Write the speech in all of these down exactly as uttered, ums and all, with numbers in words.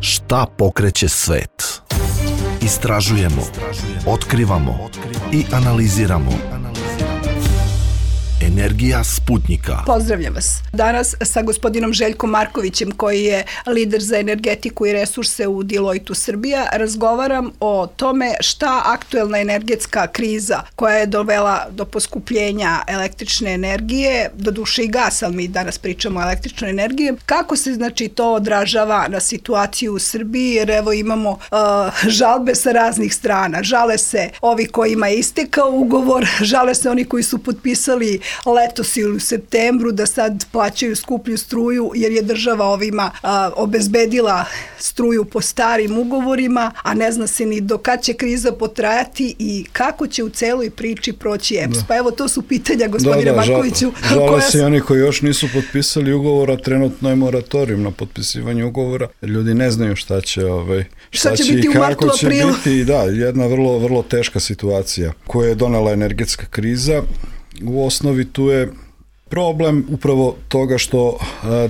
Šta pokreće svet? Istražujemo, otkrivamo i analiziramo. Energija Sputnjika. Pozdravljam vas. Danas sa gospodinom Željkom Markovićem, koji je lider za energetiku i resurse u Deloitte Srbija, razgovaram o tome šta aktuelna energetska kriza koja je dovela do poskupljenja električne energije, doduše i gasa, ali mi danas pričamo o električnoj energiji, kako se znači to odražava na situaciju u Srbiji, jer evo imamo uh, žalbe sa raznih strana. Žale se ovi kojima je istekao ugovor, žale se oni koji su potpisali letos ili u septembru da sad plaćaju skuplju struju jer je država ovima a, obezbedila struju po starim ugovorima, a ne zna se ni do kad će kriza potrajati i kako će u celoj priči proći E P S. Da. Pa evo, to su pitanja, gospodine da, da, Markoviću. Žale koja... se i oni koji još nisu potpisali ugovor, a trenutno je moratorijum na potpisivanje ugovora. Ljudi ne znaju šta će, ovaj, šta, šta će, će biti i u martu, kako će aprilu. biti. Da, jedna vrlo, vrlo teška situacija koju je donela energetska kriza. U osnovi tu je problem upravo toga što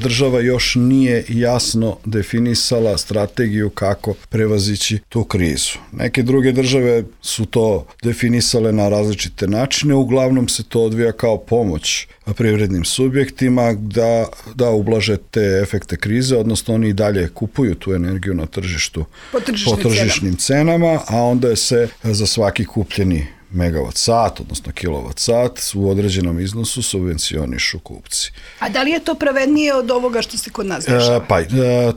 država još nije jasno definisala strategiju kako prevazići tu krizu. Neke druge države su to definisale na različite načine, uglavnom se to odvija kao pomoć privrednim subjektima da, da ublaže te efekte krize, odnosno oni i dalje kupuju tu energiju na tržištu po, po tržišnim cenama, a onda se za svaki kupljeni megavat sat, odnosno kilovat sat, u određenom iznosu subvencionišu kupci. A da li je to pravednije od ovoga što se kod nas dešava? E, pa, e,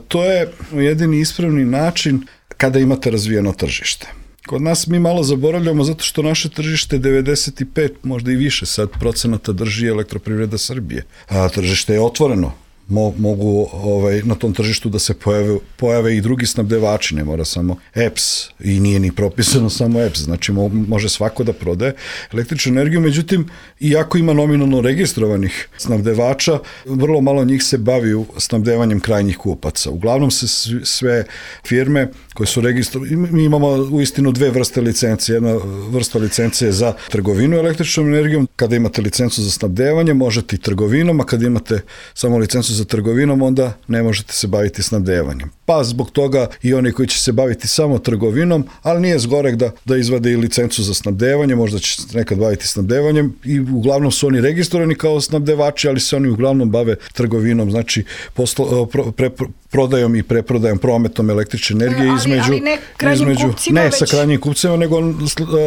to je jedini ispravni način kada imate razvijeno tržište. Kod nas mi malo zaboravljamo zato što naše tržište devedeset pet, možda i više sad procenata drži Elektroprivreda Srbije. A tržište je otvoreno. Mo, mogu ovaj, na tom tržištu da se pojave, pojave i drugi snabdevači, ne mora samo E P S i nije ni propisano samo E P S, znači mo, može svako da prodaje električnu energiju, međutim, iako ima nominalno registrovanih snabdevača, vrlo malo njih se bavi snabdevanjem krajnjih kupaca. Uglavnom se sve firme koje su registrovane, mi imamo uistinu dve vrste licencije, jedna vrsta licencije za trgovinu električnom energijom, kada imate licencu za snabdevanje, možete i trgovinom, a kada imate samo licencu za trgovinom, onda ne možete se baviti snabdevanjem. Pa zbog toga i oni koji će se baviti samo trgovinom, ali nije zgorek da, da izvade i licencu za snabdevanje, možda će se nekad baviti snabdevanjem i uglavnom su oni registrovani kao snabdevači, ali se oni uglavnom bave trgovinom, znači poslo, pro, pre, prodajom i preprodajom, prometom električne energije ali, između... Ali ne krajnjim između, kupcima Ne već... sa krajnjim kupcima, nego uh,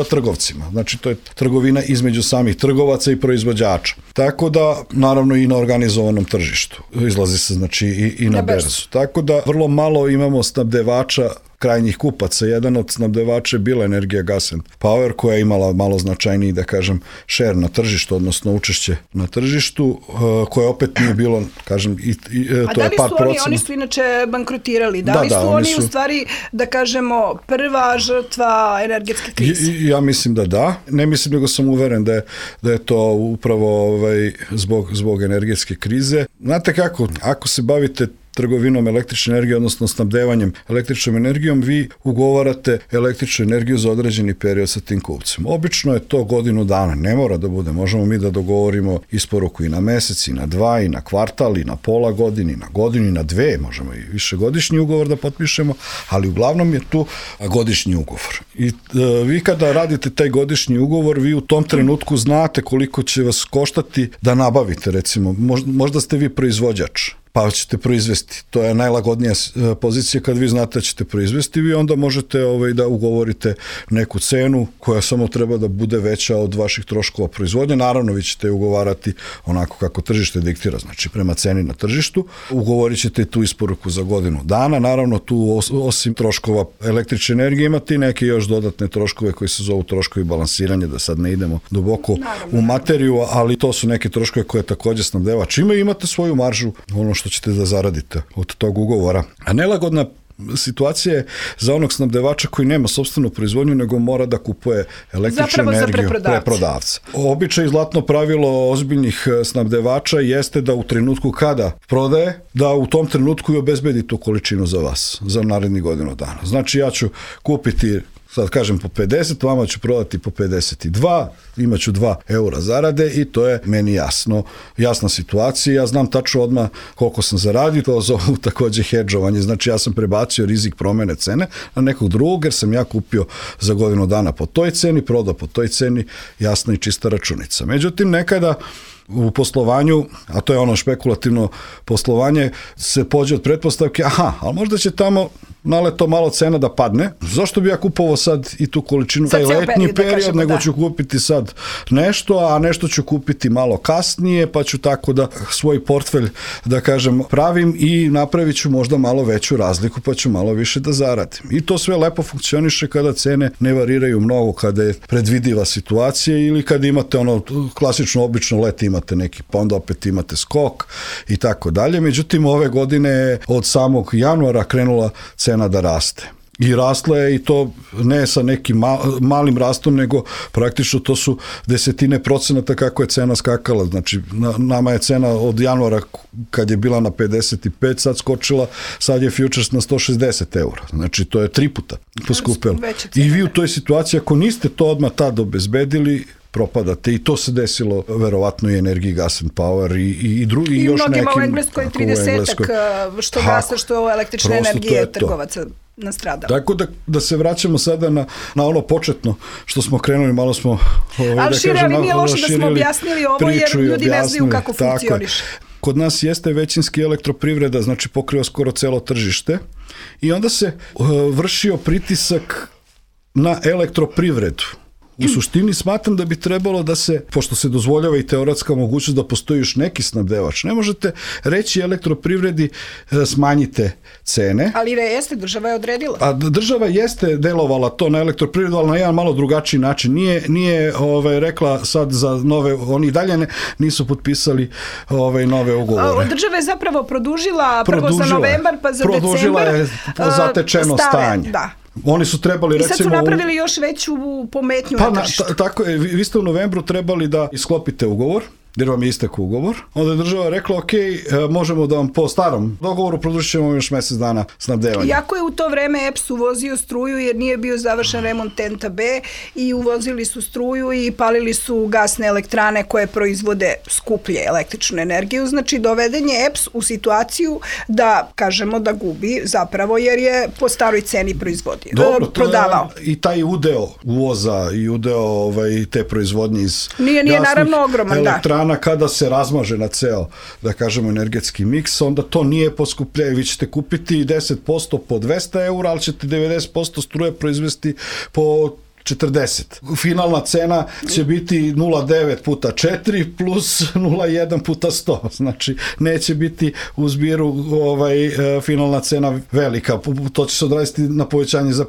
trgovcima. Znači to je trgovina između samih trgovaca i proizvođača. Tako da, naravno i na organizovanom tržištu. Izlazi se znači i, i na, na berzu. berzu. Tako da vrlo malo imamo snabdevača krajnjih kupaca. Jedan od snabdevača je bila Energija Gas and Power, koja je imala malo značajniji, da kažem, share na tržištu, odnosno učešće na tržištu, koje opet nije bilo, kažem, i, i to je par procena. A da li su oni, oni su inače bankrotirali? Da, da li su da, oni, su... u stvari, da kažemo, prva žrtva energetske krize? I, ja mislim da da. Ne mislim, nego sam uveren da je, da je to upravo ovaj, zbog, zbog energetske krize. Znate kako, ako se bavite trgovinom električne energije, odnosno snabdevanjem električnom energijom, vi ugovarate električnu energiju za određeni period sa tim kupcem. Obično je to godinu dana, ne mora da bude. Možemo mi da dogovorimo isporuku i na mesec, i na dva, i na kvartal, i na pola godine, i na godinu, i na dve, možemo i višegodišnji ugovor da potpišemo, ali uglavnom je tu godišnji ugovor. I e, vi kada radite taj godišnji ugovor, vi u tom trenutku znate koliko će vas koštati da nabavite, recimo, možda, možda ste vi proizvođač, pa ćete proizvesti. To je najlagodnija pozicija kad vi znate da ćete proizvesti, vi onda možete ovaj, da ugovorite neku cenu koja samo treba da bude veća od vaših troškova proizvodnje. Naravno, vi ćete ugovarati onako kako tržište diktira, znači prema ceni na tržištu. Ugovorit ćete tu isporuku za godinu dana. Naravno, tu osim troškova električne energije imate i neke još dodatne troškove koji se zovu troškovi balansiranja, da sad ne idemo duboko Naravno. u materiju, ali to su neke troškove koje takođe snabdevač ima i imate svoju maržu, ono što ćete da zaradite od tog ugovora. A nelagodna situacija je za onog snabdevača koji nema sopstvenu proizvodnju, nego mora da kupuje električnu Zapravo energiju preprodavca. Običaj i zlatno pravilo ozbiljnih snabdevača jeste da u trenutku kada prodaje, da u tom trenutku i obezbedi tu količinu za vas, za naredni godinu dana. Znači ja ću kupiti sad kažem po pedeset, vama ću prodati po pedeset dva, imat ću dva eura zarade i to je meni jasno, jasna situacija. Ja znam tačno odmah koliko sam zaradio, to zovu također hedžovanje, znači ja sam prebacio rizik promjene cene na nekog drugog, jer sam ja kupio za godinu dana po toj ceni, prodao po toj ceni, jasna i čista računica. Međutim, nekada u poslovanju, a to je ono špekulativno poslovanje, se pođe od pretpostavke, aha, ali možda će tamo naleto malo cena da padne, zašto bi ja kupovao sad i tu količinu, taj letnji period, period kažemo, nego da. Ću kupiti sad nešto, a nešto ću kupiti malo kasnije, pa ću tako da svoj portfelj, da kažem, pravim i napravit ću možda malo veću razliku, pa ću malo više da zaradim. I to sve lepo funkcioniše kada cene ne variraju mnogo, kada je predvidiva situacija ili kada imate ono klasično obično let imate neki, pa onda opet imate skok i tako dalje. Međutim, ove godine od samog januara krenula cena da raste. I rasla je i to ne sa nekim malim rastom, nego praktično to su desetine procenata kako je cena skakala. Znači, na, nama je cena od januara kad je bila na pedeset pet, sad skočila, sad je futures na sto šezdeset eura. Znači, to je tri puta poskupilo. I vi u toj situaciji, ako niste to odmah tad obezbedili, propadate i to se desilo verovatno i Energiji Gas and Power i, i, i drugi i još nekim. I mnogima u Engleskoj tridesetak što gasa, što električne energije trgovaca nastradalo. Tako da, da se vraćamo sada na, na ono početno što smo krenuli, malo smo ovaj, ali da šire, kažem, ali nije loše da smo objasnili ovo jer ljudi ne znaju kako funkcioniše. Kod nas jeste većinski elektroprivreda, znači pokriva skoro celo tržište i onda se uh, vršio pritisak na elektroprivredu. U suštini smatram da bi trebalo da se, pošto se dozvoljava i teoretska mogućnost da postoji još neki snabdevač, ne možete reći elektroprivredi smanjite cene. Ali jeste, država je odredila. A država jeste delovala to na elektroprivredu, ali na jedan malo drugačiji način. Nije, nije ovaj, rekla sad za nove, oni dalje ne, nisu potpisali ovaj, nove ugovore. Država je zapravo produžila, prvo produžila za novembar, pa za produžila decembar. Produžila je zatečeno stave, stanje. Da. Oni su trebali, recimo... I sad su napravili još veću pometnju pa na tržištu. Ta, tako je, vi ste u novembru trebali da isklopite ugovor, jer vam je istekao ugovor. Onda je država rekla, ok, možemo da vam po starom dogovoru produžit ćemo još mjesec dana snabdevanja. Iako je u to vreme E P S uvozio struju jer nije bio završen remont T E N T-a B i uvozili su struju i palili su gasne elektrane koje proizvode skuplje električnu energiju. Znači, doveden je E P S u situaciju da, kažemo, da gubi zapravo jer je po staroj ceni proizvodio. Dobro, prodavao. I taj udeo uvoza i udeo ovaj, te proizvodnje iz nije, nije naravno ogroman, elektrana, da. Kada se razmaže na ceo, da kažemo, energetski miks, onda to nije poskupljenje. Vi ćete kupiti deset posto po dvesta eura, ali ćete devedeset posto struje proizvesti po četrdeset. Finalna cena će biti nula zarez devet puta četiri plus nula zarez jedan puta sto. Znači, neće biti u zbiru ovaj, finalna cena velika. To će se odraziti na povećanje za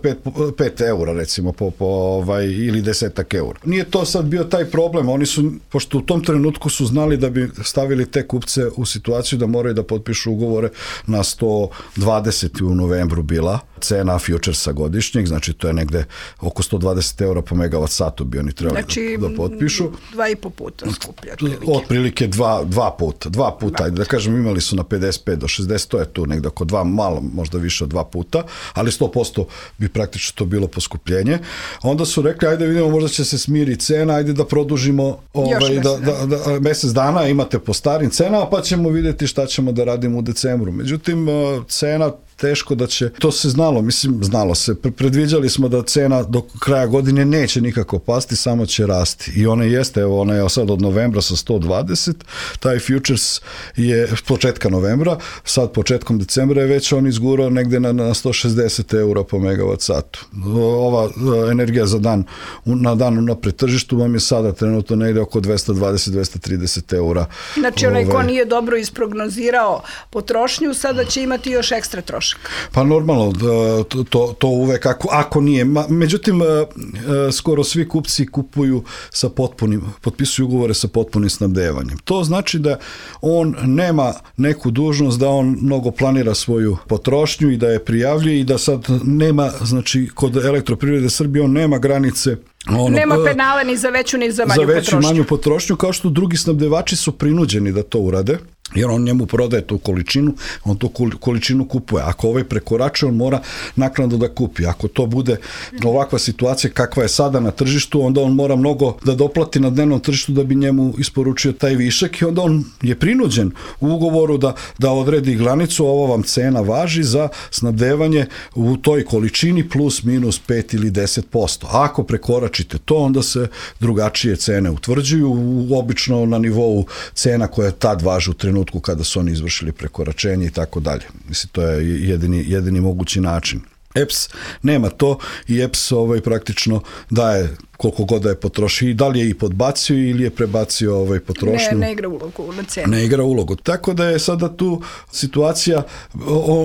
pet eura, recimo, po, po, ovaj, ili desetak eura. Nije to sad bio taj problem. Oni su, pošto u tom trenutku su znali da bi stavili te kupce u situaciju da moraju da potpišu ugovore na sto dvadeset u novembru bila cena futuresa godišnjeg, znači to je negde oko sto dvadeset eura po megavat satu bi oni trebali znači, da potpišu. Dva i po puta skuplje. Otprilike, otprilike dva, dva puta. Dva puta, da. da kažem, imali su na pedeset pet do šezdeset, to je tu negde oko dva, malo, možda više od dva puta, ali sto posto bi praktično to bilo poskupljenje. Onda su rekli, ajde vidimo, možda će se smiri cena, ajde da produžimo ovaj, da, da, da, mesec dana, imate po starim cenama, pa ćemo vidjeti šta ćemo da radimo u decembru. Međutim, cena teško da će, to se znalo, mislim, znalo se, predviđali smo da cena do kraja godine neće nikako pasti, samo će rasti. I ona jeste, evo, ona je sad od novembra sa sto dvadeset, taj futures je početka novembra, sad početkom decembra je već on izgurao negde na, na sto šezdeset eura po megavat satu. Ova energija za dan, na dan na pretržištu vam je sada trenutno negde oko dvesta dvadeset do dvesta trideset eura. Znači, onaj ko nije dobro isprognozirao potrošnju, sada će imati još ekstra trošak. Pa normalno, to, to uvek, ako, ako nije. Međutim, skoro svi kupci kupuju sa potpunim, potpisuju ugovore sa potpunim snabdevanjem. To znači da on nema neku dužnost da on mnogo planira svoju potrošnju i da je prijavljuje i da sad nema, znači, kod Elektroprivrede Srbije on nema granice. Ono, nema penale ni za veću ni za manju potrošnju. Za veću potrošnju. manju potrošnju, kao što drugi snabdevači su prinuđeni da to urade. jer on njemu prodaje tu količinu, on tu količinu kupuje. Ako ovaj prekoračuje, on mora naknadno da kupi. Ako to bude ovakva situacija kakva je sada na tržištu, onda on mora mnogo da doplati na dnevnom tržištu da bi njemu isporučio taj višak i onda on je prinuđen u ugovoru da, da odredi granicu, ovo vam cena važi za snabdevanje u toj količini plus minus pet ili deset posto. Ako prekoračite to, onda se drugačije cene utvrđuju, obično na nivou cena koja tad važi u trenutku kada su oni izvršili prekoračenje i tako dalje. Mislim, to je jedini, jedini mogući način. E P S nema to i E P S ovaj, praktično daje koliko god da je potrošio i da li je i podbacio ili je prebacio ovaj potrošnju. Ne, ne igra ulogu na cenu. Ne igra ulogu. Tako da je sada tu situacija,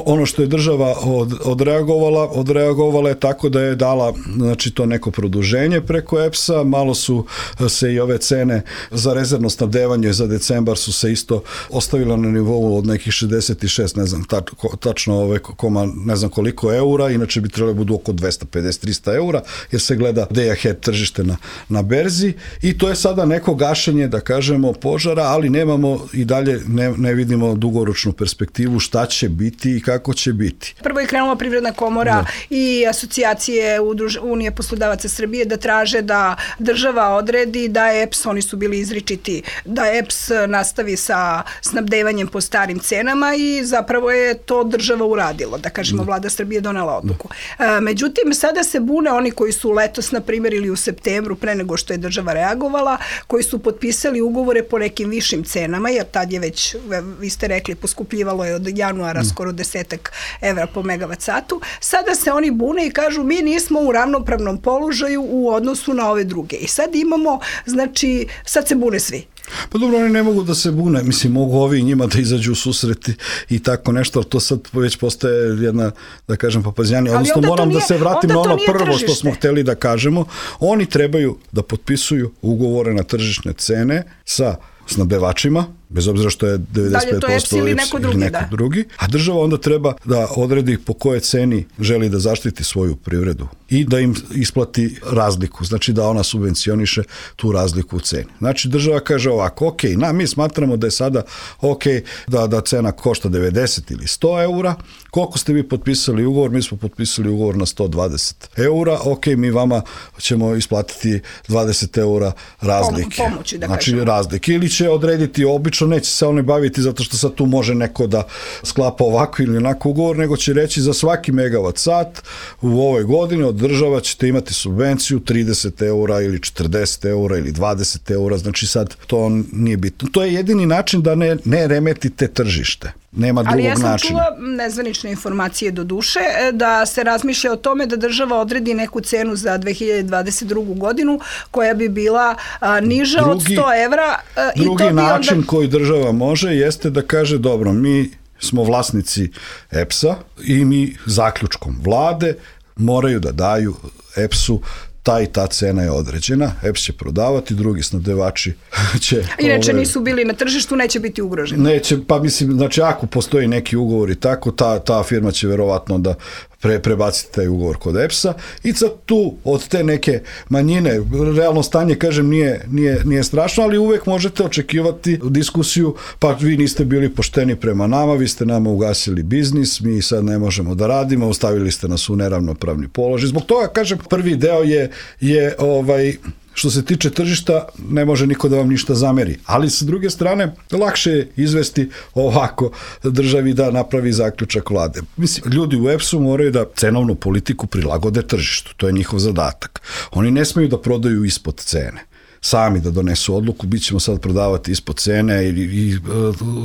ono što je država od, odreagovala, odreagovala je tako da je dala, znači, to neko produženje preko E P S-a, malo su se i ove cene za rezervno snabdevanje za decembar su se isto ostavile na nivou od nekih šezdeset šest, ne znam tač, tačno ove koma, ne znam koliko eura, inače bi trebalo budu oko dvesta pedeset do trista eura, jer se gleda day ahead tržište na, na berzi i to je sada neko gašenje, da kažemo, požara, ali nemamo i dalje ne, ne vidimo dugoročnu perspektivu šta će biti i kako će biti. Prvo je krenula Privredna komora da. i asocijacije Udruž, Unije poslodavaca Srbije da traže da država odredi da E P S, oni su bili izričiti, da E P S nastavi sa snabdevanjem po starim cenama i zapravo je to država uradila, da kažemo, vlada Srbije donela odluku. Da. Međutim, sada se bune oni koji su letos, na primjer, ili u septembru, pre nego što je država reagovala, koji su potpisali ugovore po nekim višim cenama, jer tad je već, vi ste rekli, poskupljivalo je od januara mm. skoro desetak evra po megavat satu. Sada se oni bune i kažu mi nismo u ravnopravnom položaju u odnosu na ove druge. I sad imamo, znači, sad se bune svi. Pa dobro, oni ne mogu da se bune, mislim, mogu ovi njima da izađu u susreti i tako nešto, ali to sad već postaje jedna, da kažem, papazjanija. Odnosno, moram nije, da se vratim na ono prvo tržište. Što smo hteli da kažemo. Oni trebaju da potpisuju ugovore na tržišne cene sa snabdevačima, bez obzira što je devedeset pet posto ili neko, drugi, ili neko da. drugi, a država onda treba da odredi po kojoj ceni želi da zaštiti svoju privredu i da im isplati razliku, znači da ona subvencioniše tu razliku u ceni. Znači država kaže ovako, ok, na, mi smatramo da je sada ok da, da cena košta devedeset ili sto eura, koliko ste vi potpisali ugovor, mi smo potpisali ugovor na sto dvadeset eura, ok, mi vama ćemo isplatiti dvadeset eura razlike. Pomoći, da znači kažemo. razlike, ili će odrediti obično, neće se oni baviti zato što sad tu može neko da sklapa ovako ili onako ugovor, nego će reći za svaki megavat sat u ovoj godini od država ćete imati subvenciju trideset eura ili četrdeset eura ili dvadeset eura, znači sad to nije bitno. To je jedini način da ne, ne remetite tržište. Nema drugog načina. Ali ja sam načina. čula nezvanične informacije do duše da se razmišlja o tome da država odredi neku cenu za dve hiljade dvadeset drugu godinu koja bi bila a, niža drugi, od sto evra. A, drugi i to bi način onda... koji država može jeste da kaže dobro, mi smo vlasnici E P S-a i mi zaključkom vlade moraju da daju E P S-u ta i ta cena je određena, E P S će prodavati, drugi snabdevači će... Inače ove, nisu bili na tržištu, neće biti ugroženi. Neće, pa mislim, znači ako postoji neki ugovor i tako, ta, ta firma će verovatno da pre, prebaciti taj ugovor kod E P S-a i sad tu od te neke manjine, realno stanje, kažem, nije, nije, nije strašno, ali uvek možete očekivati diskusiju, pa vi niste bili pošteni prema nama, vi ste nama ugasili biznis, mi sad ne možemo da radimo, ostavili ste nas u neravnopravni položaj. Zbog toga, kažem, prvi deo je, je ovaj... Što se tiče tržišta, ne može niko da vam ništa zameri. Ali sa druge strane, lakše je izvesti ovako državi da napravi zaključak vlade. Mislim, ljudi u E P S-u moraju da cenovnu politiku prilagode tržištu. To je njihov zadatak. Oni ne smeju da prodaju ispod cene. Sami da donesu odluku, bit ćemo sad prodavati ispod cene i, i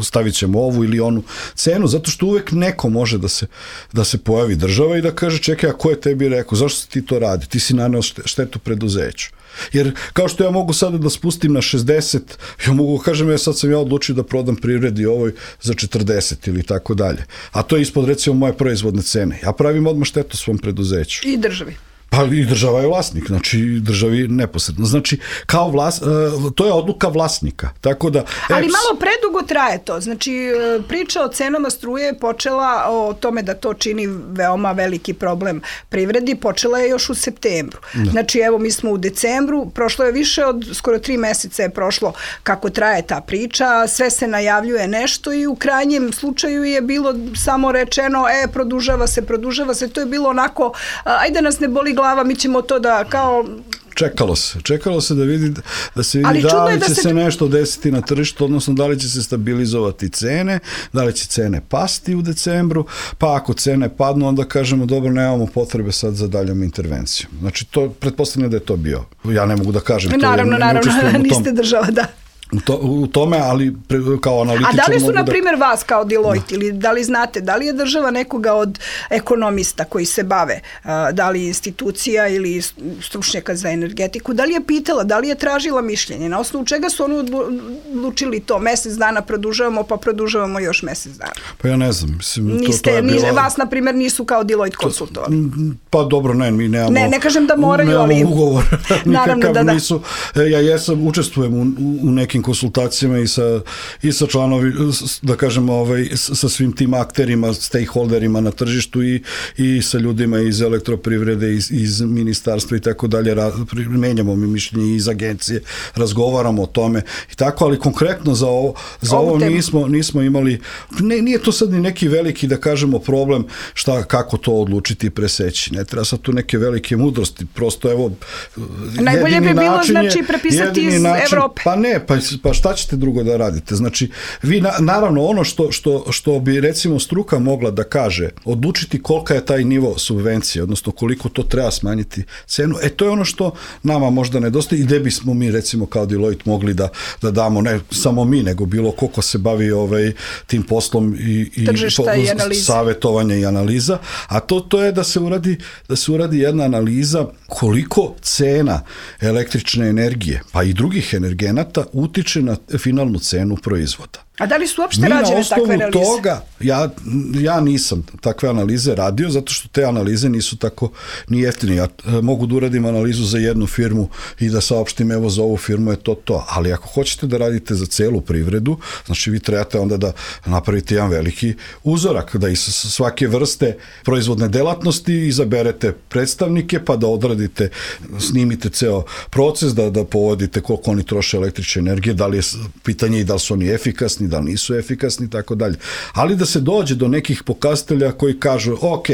stavit ćemo ovu ili onu cenu, zato što uvek neko može da se, da se pojavi država i da kaže čekaj, a ko je tebi rekao, zašto ti to radi? Ti si naneo štetu preduzeću. Jer kao što ja mogu sada da spustim na šezdeset, ja mogu kažem ja sad sam ja odlučio da prodam privredi ovoj za četrdeset ili tako dalje. A to je ispod recimo moje proizvodne cene. Ja pravim odmah štetu svom preduzeću. I državi. Pa i država je vlasnik, znači državi neposredno. Znači, kao vlas, to je odluka vlasnika. Tako da, ali malo predugo traje to. Znači, priča o cenama struje je počela o tome da to čini veoma veliki problem privredi, počela je još u septembru. Da. Znači, evo, mi smo u decembru, prošlo je više od skoro tri meseca je prošlo kako traje ta priča, sve se najavljuje nešto i u krajnjem slučaju je bilo samo rečeno, e, produžava se, produžava se, to je bilo onako, ajde nas ne boli glava, mi ćemo to da kao... Čekalo se, čekalo se da vidi, da se vidi da li će da se... se nešto desiti na tržištu, odnosno da li će se stabilizovati cene, da li će cene pasti u decembru, pa ako cene padnu, onda kažemo dobro, nemamo potrebe sad za daljom intervencijom. Znači, to, pretpostavljam da je to bio. Ja ne mogu da kažem. Naravno, to, naravno, niste država, da. U, to, u tome, ali pre, kao analitičar... A da li su, na da... primjer, vas kao Deloitte, ili da li znate, da li je država nekoga od ekonomista koji se bave, da li institucija ili stručnjaka za energetiku, da li je pitala, da li je tražila mišljenje, na osnovu čega su oni odlučili to, mesec dana produžavamo, pa produžavamo još mesec dana? Pa ja ne znam. Mislim, Niste, to, to je bila... Vas, na primjer, nisu kao Deloitte konsultovali? Pa dobro, ne, mi nemamo... Ne, ne kažem da moraju, ali... Nemamo ugovor. Naravno da da. Nisu, ja jesam, učestvujem u, u nekim konsultacijama i sa, i sa članovi, da kažem, ovaj, sa svim tim akterima, stakeholderima na tržištu i, i sa ljudima iz elektroprivrede, iz, iz ministarstva i tako dalje. Menjamo mi mišljenje iz agencije, razgovaramo o tome i tako, ali konkretno za ovo, za ovo nismo, nismo imali, ne, nije to sad ni neki veliki, da kažemo, problem šta, kako to odlučiti i preseći. Ne treba sad tu neke velike mudrosti, prosto evo, najbolje bi bilo, znači, prepisati iz način, Evrope. Pa ne, pa, pa šta ćete drugo da radite? Znači, vi, na, naravno, ono što, što, što bi, recimo, struka mogla da kaže, odlučiti kolika je taj nivo subvencije, odnosno koliko to treba smanjiti cenu, e, to je ono što nama možda nedostaje i gde bismo mi, recimo, kao Deloitte mogli da, da damo, ne samo mi, nego bilo koliko se bavi ovaj, tim poslom i, i, tržišta i analiza. Savjetovanja i analiza, a to, to je da se uradi, da se uradi jedna analiza koliko cena električne energije, pa i drugih energenata utiče na finalnu cenu proizvoda. A da li su uopšte rađene takve analize? Toga, ja, ja nisam takve analize radio, zato što te analize nisu tako ni jeftine. Ja e, mogu da uradim analizu za jednu firmu i da saopštim, evo, za ovu firmu je to to. Ali ako hoćete da radite za celu privredu, znači vi trebate onda da napravite jedan veliki uzorak, da iz svake vrste proizvodne delatnosti izaberete predstavnike, pa da odradite, snimite ceo proces, da, da povodite koliko oni troše električne energije, da li je pitanje i da li su oni efikasni, da nisu efikasni i tako dalje. Ali da se dođe do nekih pokazatelja koji kažu, ok,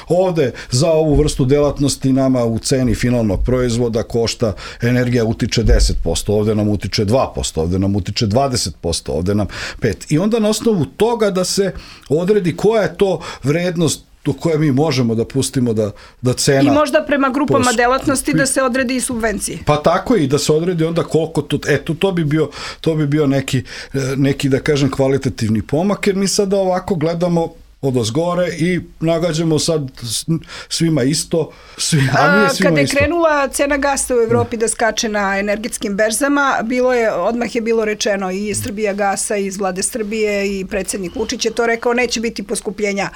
ovde za ovu vrstu delatnosti nama u ceni finalnog proizvoda košta, energija utiče deset posto, ovde nam utiče dva posto, ovde nam utiče dvadeset posto, ovde nam pet posto. I onda na osnovu toga da se odredi koja je to vrednost do koje mi možemo da pustimo da, da cena... I možda prema grupama post... delatnosti da se odredi i subvencije. Pa tako i da se odredi onda koliko to... Eto, to bi bio, to bi bio neki, neki, da kažem, kvalitativni pomak, jer mi sada ovako gledamo odozgore i nagađamo sad svima isto, svi, a nije svima Kada je isto. Krenula cena gasa u Evropi da skače na energetskim berzama, bilo je, odmah je bilo rečeno i Srbija gasa iz vlade Srbije i predsjednik Vučić je to rekao, neće biti poskupljenja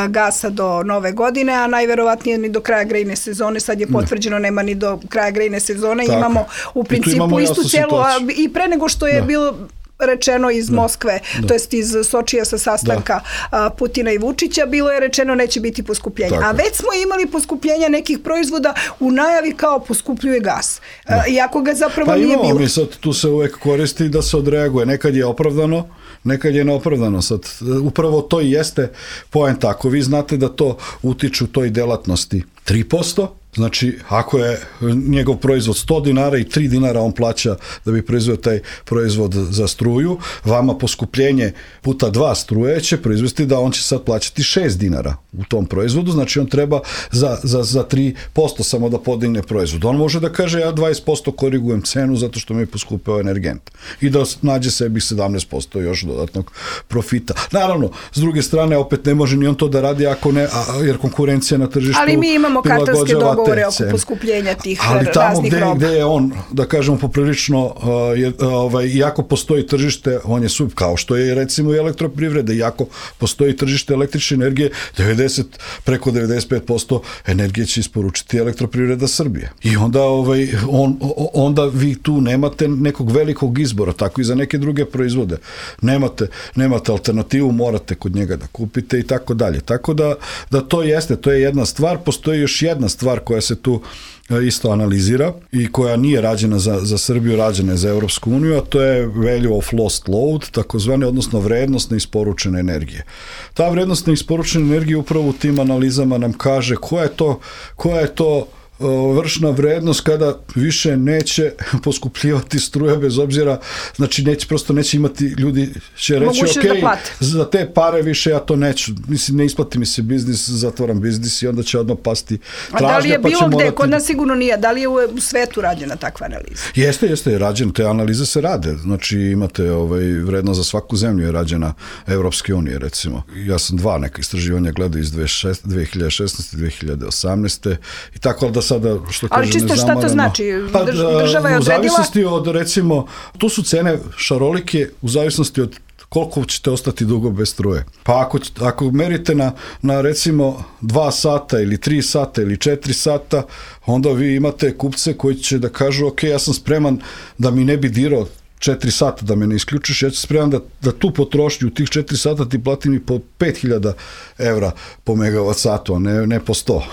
gasa do nove godine, a najverovatnije ni do kraja grejne sezone, sad je potvrđeno, nema ni do kraja grejne sezone, tako. Imamo u principu imamo istu celu, i pre nego što je da. bilo rečeno iz da, Moskve, da. to jest iz Sočija sa sastanka da. Putina i Vučića, bilo je rečeno neće biti poskupljenja. Tako. A već smo imali poskupljenja nekih proizvoda u najavi kao poskupljuje gas. Da. Iako ga zapravo pa nije bilo. Pa imamo mi sad, tu se uvek koristi da se odreaguje. Nekad je opravdano, nekad je neopravdano. Sad, upravo to i jeste poenta. Ako vi znate da to utiče u toj delatnosti tri posto, znači, ako je njegov proizvod sto dinara i tri dinara on plaća da bi proizveo taj proizvod za struju, vama poskupljenje puta dva struje će proizvesti da on će sad plaćati šest dinara u tom proizvodu, znači on treba za, za, za tri posto samo da podigne proizvod. On može da kaže ja dvadeset posto korigujem cenu zato što mi je poskupeo energent i da nađe sebi sedamnaest posto još dodatnog profita. Naravno, s druge strane, opet ne može ni on to da radi ako ne, a, jer konkurencija na tržištu ali mi imamo kartelske dogovore govore oko cene. poskupljenja tih Ali tamo raznih gde, roba. gde je on, da kažemo, poprilično, uh, je, ovaj, iako postoji tržište, on je sub, kao što je recimo i elektroprivreda, iako postoji tržište električne energije, devedeset, preko devedeset pet posto energije će isporučiti elektroprivreda Srbije. I onda, ovaj, on, onda vi tu nemate nekog velikog izbora, tako i za neke druge proizvode. Nemate, nemate alternativu, morate kod njega da kupite i tako dalje. Tako da, da to jeste, to je jedna stvar. Postoji još jedna stvar koja se tu isto analizira i koja nije rađena za, za Srbiju, rađena je za Evropsku uniju, a to je value of lost load, takozvane, odnosno vrednost neisporučene energije. Ta vrednost neisporučene energije upravo u tim analizama nam kaže koja je to, koja je to vršna vrednost kada više neće poskupljivati struje bez obzira, znači neće, prosto neće imati, ljudi će reći ok, da za te pare više ja to neću, mislim ne isplati mi se biznis, zatvaram biznis i onda će odmah pasti tražnja. A da li je pa bilo gde, morati... kod nas sigurno nije, da li je u, u svetu rađena takva analiza? Jeste, jeste, je rađena, te analize se rade, znači imate ovaj, vrednost za svaku zemlju je rađena Evropske unije recimo. Ja sam dva neka istraživanja gledao iz dve hiljade šesnaeste. dve hiljade osamnaeste. i tako da sada, što ali kažem, čisto šta to znači? Pa, država je odredila? U zavisnosti od, recimo, tu su cene šarolike u zavisnosti od koliko ćete ostati dugo bez struje. Pa ako, ako merite na, na recimo dva sata ili tri sata ili četiri sata, onda vi imate kupce koji će da kažu ok, ja sam spreman da mi ne bi dirao četiri sata da me ne isključiš, ja ću spreman da, da tu potrošnju u tih četiri sata ti platim i po pet hiljada evra po megavat satu, a ne, ne po sto,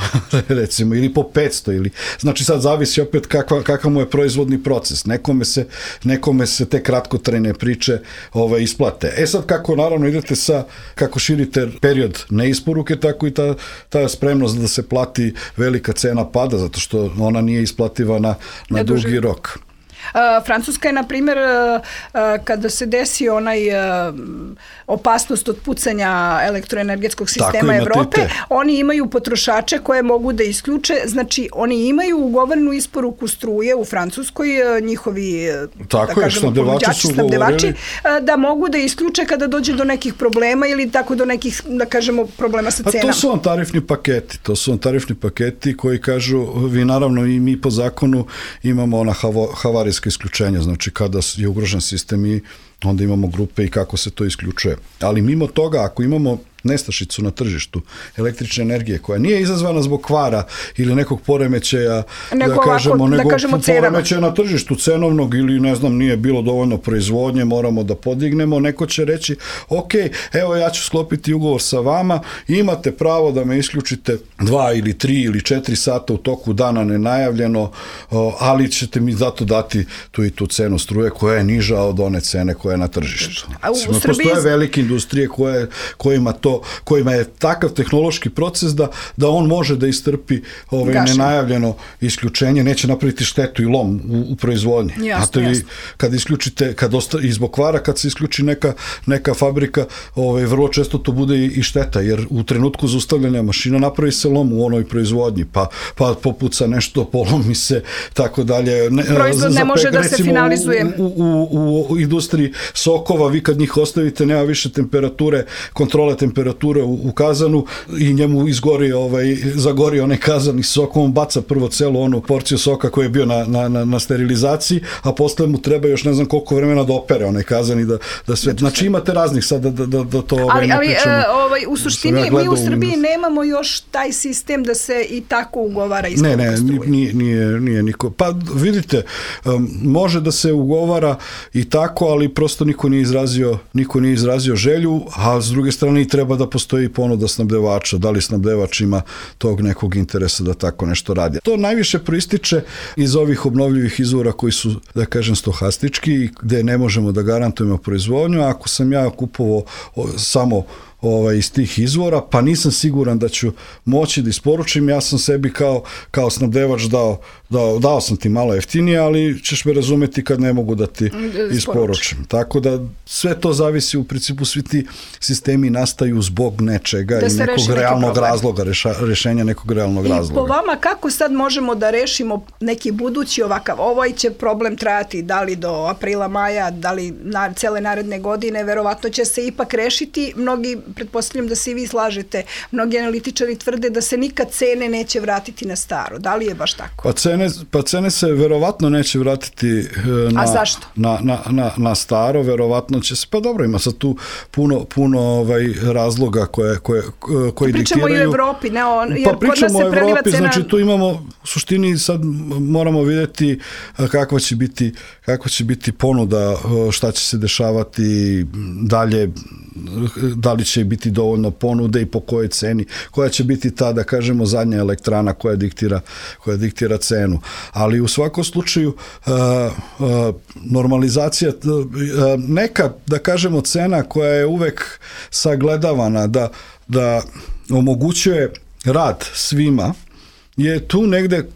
recimo, ili po petsto, ili, znači sad zavisi opet kakva, kakav mu je proizvodni proces. Nekome se, nekome se te kratkotrajne priče ovaj, isplate. E sad kako naravno idete sa, kako širite period neisporuke, tako i ta, ta spremnost da se plati velika cena pada, zato što ona nije isplativa na, na dugi rok. Uh, Francuska je, na primjer, uh, uh, kada se desi onaj uh, opasnost od pucanja elektroenergetskog sistema Evrope, oni imaju potrošače koje mogu da isključe, znači oni imaju ugovorenu isporuku struje u Francuskoj, uh, njihovi, tako da kažemo, ponuđači, snabdevači, uh, da mogu da isključe kada dođe do nekih problema ili tako do nekih, da kažemo, problema sa cenama. A to su vam tarifni paketi, to su vam tarifni paketi koji kažu, vi naravno i mi po zakonu imamo ona havari isključenja, znači kada je ugrožen sistem i onda imamo grupe i kako se to isključuje. Ali mimo toga, ako imamo nestašicu na tržištu električne energije koja nije izazvana zbog kvara ili nekog poremećaja, nego da kažemo, ovako, nego da kažemo poremećaja na tržištu cenovnog ili ne znam, nije bilo dovoljno proizvodnje, moramo da podignemo, neko će reći ok, evo ja ću sklopiti ugovor sa vama, imate pravo da me isključite dva ili tri ili četiri sata u toku dana nenajavljeno, ali ćete mi zato dati tu i tu cenu struje koja je niža od one cene koja je na tržištu. A u, u Srbiji... Postoje velike industrije koje, kojima to kojima je takav tehnološki proces da, da on može da istrpi ovaj, nenajavljeno isključenje, neće napraviti štetu i lom u, u proizvodnji. Jasno, vi, jasno. Kad isključite, kad osta, i zbog kvara, kad se isključi neka, neka fabrika, ovaj, vrlo često to bude i, i šteta, jer u trenutku zaustavljanja mašina napravi se lom u onoj proizvodnji, pa, pa popuca nešto, polomi se, tako dalje. Ne, Proizvod ne može da se finalizuje. U, u, u, u industriji sokova, vi kad njih ostavite, nema više temperature, kontrole temperature u, u kazanu i njemu izgori, ovaj, zagori onaj kazan i sokom, baca prvo celu onu porciju soka koji je bio na, na, na, na sterilizaciji, a posle mu treba još ne znam koliko vremena da opere onaj kazan i da, da sve, znači imate raznih sad da, da, da to ovaj, ali, ne ali, pričamo. Ali ovaj, u suštini ja mi u Srbiji nemamo još taj sistem da se i tako ugovara isporuka struje. Ne, ne, nije, nije, nije niko. Pa vidite, um, može da se ugovara i tako, ali prosto niko nije izrazio, niko nije izrazio želju, a s druge strane i treba da postoji ponuda snabdevača, da li snabdevač ima tog nekog interesa da tako nešto radi. To najviše proističe iz ovih obnovljivih izvora koji su, da kažem, stohastički, gde ne možemo da garantujemo proizvodnju. Ako sam ja kupovao samo ovaj, iz tih izvora, pa nisam siguran da ću moći da isporučim, ja sam sebi kao, kao snabdevač dao, dao, dao sam ti malo jeftinije, ali ćeš me razumeti kad ne mogu da ti isporučim. Tako da sve to zavisi, u principu svi ti sistemi nastaju zbog nečega da i nekog realnog razloga, reša, rešenja nekog realnog I razloga. Po vama, kako sad možemo da rešimo neki budući ovakav, ovaj će problem trajati da li do aprila, maja, da li na cele naredne godine, verovatno će se ipak rešiti. Mnogi, pretpostavljam da se i vi slažete, mnogi analitičari tvrde da se nikad cene neće vratiti na staro. Da li je baš tako? Pa cene, pa cene se verovatno neće vratiti na, A zašto? Na, na, na, na staro, verovatno će se, pa dobro, ima sad tu puno, puno ovaj, razloga koje, koje, koji pričamo diktiraju. Pričamo i o Evropi, ne o, jer pa pričamo kod nas se preliva Evropi, cena... znači tu imamo, u suštini sad moramo vidjeti kakva će biti, kakva će biti ponuda, šta će se dešavati dalje, da li će biti dovoljno ponude i po kojoj ceni, koja će biti ta, da kažemo, zadnja elektrana koja diktira, koja diktira cenu. Ali u svakom slučaju uh, uh, normalizacija, uh, neka, da kažemo, cena koja je uvek sagledavana da, da omogućuje rad svima, je tu negde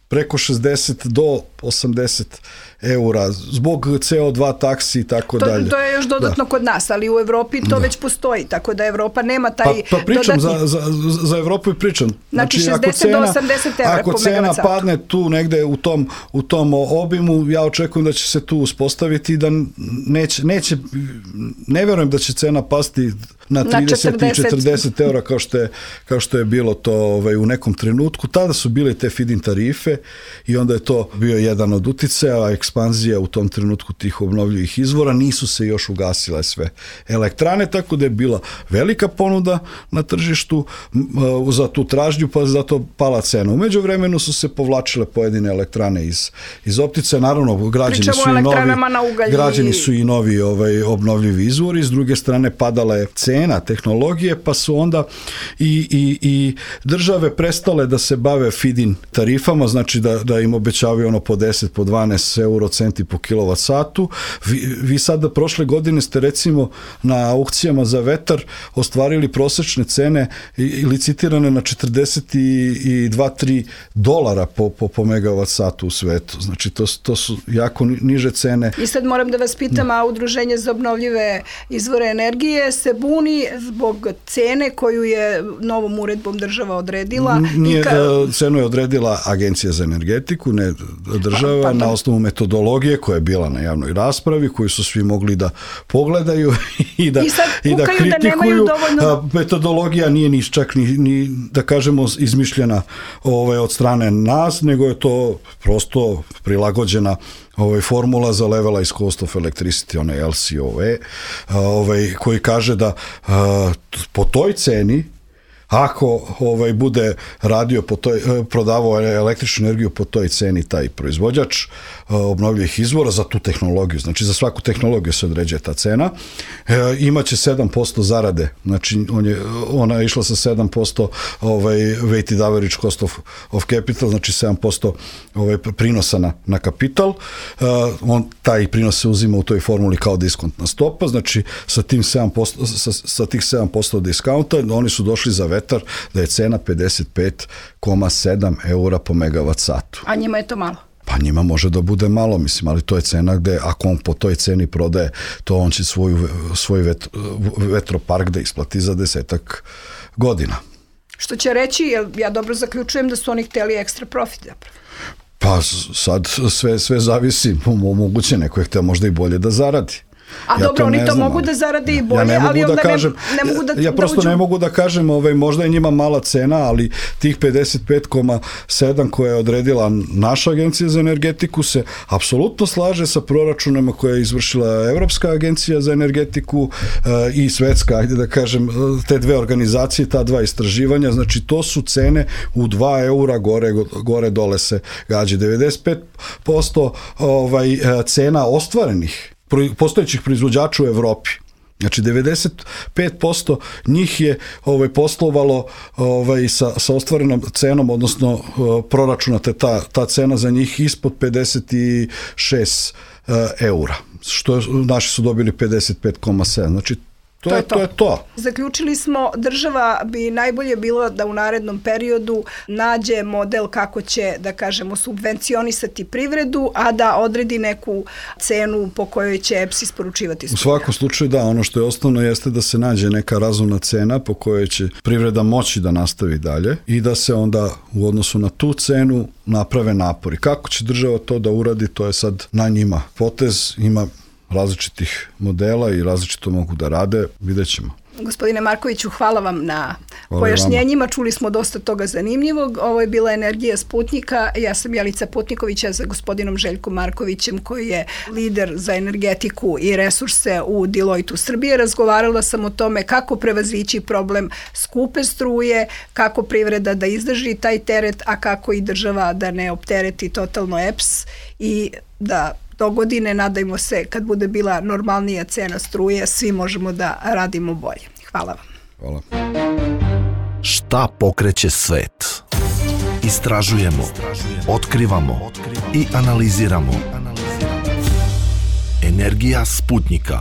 preko šezdeset do osamdeset eura, zbog ce o dva taksi i tako to, dalje. To je još dodatno da. Kod nas, ali u Evropi to da. Već postoji, tako da Evropa nema taj pa, pa pričam dodatni... za, za, za Evropu i pričam. Znači, znači šezdeset do osamdeset eura ako po cena padne tu negde u tom, u tom obimu, ja očekujem da će se tu uspostaviti i da neće, neće, ne verujem da će cena pasti na trideset i četrdeset eura kao što je, kao što je bilo to ovaj, u nekom trenutku. Tada su bile te feed-in tarife i onda je to bio jedan od uticaja, a ekspanzija u tom trenutku tih obnovljivih izvora, nisu se još ugasile sve elektrane, tako da je bila velika ponuda na tržištu za tu tražnju, pa zato pala cena. U međuvremenu su se povlačile pojedine elektrane iz, iz optice, naravno građeni su, i novi, građeni su i novi ovaj, obnovljivi izvori, s druge strane padala je cena tehnologije, pa su onda i, i, i države prestale da se bave feed-in tarifama, znači da, da im obećavaju ono po deset, po dvanaest eurocenti po kilovat satu. Vi, vi sada prošle godine ste recimo na aukcijama za vetar ostvarili prosečne cene i licitirane na četrdeset dva tri dolara po, po, po megavat satu u svetu. Znači to, to su jako niže cene. I sad moram da vas pitam, a Udruženje za obnovljive izvore energije se buni zbog cene koju je novom uredbom država odredila. Nije, ka... Cenu je odredila Agencija za energetiku, ne država, pa, pa, na osnovu metodologije koja je bila na javnoj raspravi, koju su svi mogli da pogledaju i da, I sad, i da kritikuju. Da dovoljno... Metodologija nije ni čak ni, ni da kažemo izmišljena ovaj, od strane nas, nego je to prosto prilagođena ovaj, formula za levelized cost of electricity, onaj el ce o e, ovaj, koji kaže da a, po toj ceni, ako ovaj, bude radio po toj, prodavao električnu energiju po toj ceni taj proizvođač obnovljivih izvora za tu tehnologiju, znači za svaku tehnologiju se određuje ta cena, e, imaće sedam posto zarade, znači on je, ona je išla sa sedam posto ovaj, weighted average cost of, of capital, znači sedam posto ovaj, prinosa na, na kapital, e, on, taj prinos se uzima u toj formuli kao diskontna stopa, znači sa, tim sedam posto, sa, sa tih sedam posto diskaunta oni su došli za vetar da je cena pedeset pet zarez sedam eura po megavat satu. A njima je to malo? Pa njima može da bude malo, mislim, ali to je cena gde, ako on po toj ceni prodaje, to on će svoju, svoj vet, vetropark da isplati za desetak godina. Što će reći, jer ja dobro zaključujem da su oni hteli ekstra profit zapravo. Pa sad sve, sve zavisi, moguće neko je hteo možda i bolje da zaradi. A ja dobro, oni to znam, mogu da zarade i bolje, ja ne mogu ali onda da kažem, ne, ne mogu da... Ja prosto da uđu... ne mogu da kažem, ovaj, možda je njima mala cena, ali tih pedeset pet zarez sedam koja je odredila naša agencija za energetiku se apsolutno slaže sa proračunama koje je izvršila Evropska agencija za energetiku e, i svetska, ajde da kažem, te dve organizacije, ta dva istraživanja, znači to su cene u dva eura gore, gore dole se gađe. devedeset pet posto ovaj, cena ostvarenih postojećih proizvođača u Evropi. Znači devedeset pet posto njih je ovaj, poslovalo ovaj, sa, sa ostvarenom cenom, odnosno uh, proračunate ta, ta cena za njih ispod pedeset šest uh, eura. Što naši su dobili pedeset pet zarez sedam. Znači To, to je, je to. to je to. Zaključili smo, država bi najbolje bilo da u narednom periodu nađe model kako će, da kažemo, subvencionisati privredu, a da odredi neku cenu po kojoj će E P S isporučivati struju. U svakom slučaju da, ono što je osnovno jeste da se nađe neka razumna cena po kojoj će privreda moći da nastavi dalje i da se onda u odnosu na tu cenu naprave napori. Kako će država to da uradi, to je sad na njima. Potez ima različitih modela i različito mogu da rade, vidjet ćemo. Gospodine Markoviću, hvala vam na hvala pojašnjenjima, čuli smo dosta toga zanimljivog. Ovo je bila Energija Sputnika, ja sam Jelica Putnikovića za gospodinom Željkom Markovićem koji je lider za energetiku i resurse u Deloitte Srbije. Razgovarala sam o tome kako prevazići problem skupe struje, kako privreda da izdrži taj teret, a kako i država da ne optereti totalno E P S i da do godine, nadajmo se, kad bude bila normalnija cena struje, svi možemo da radimo bolje. Hvala vam. Hvala. Šta pokreće svet? Istražujemo, otkrivamo i analiziramo. Energija Sputnika.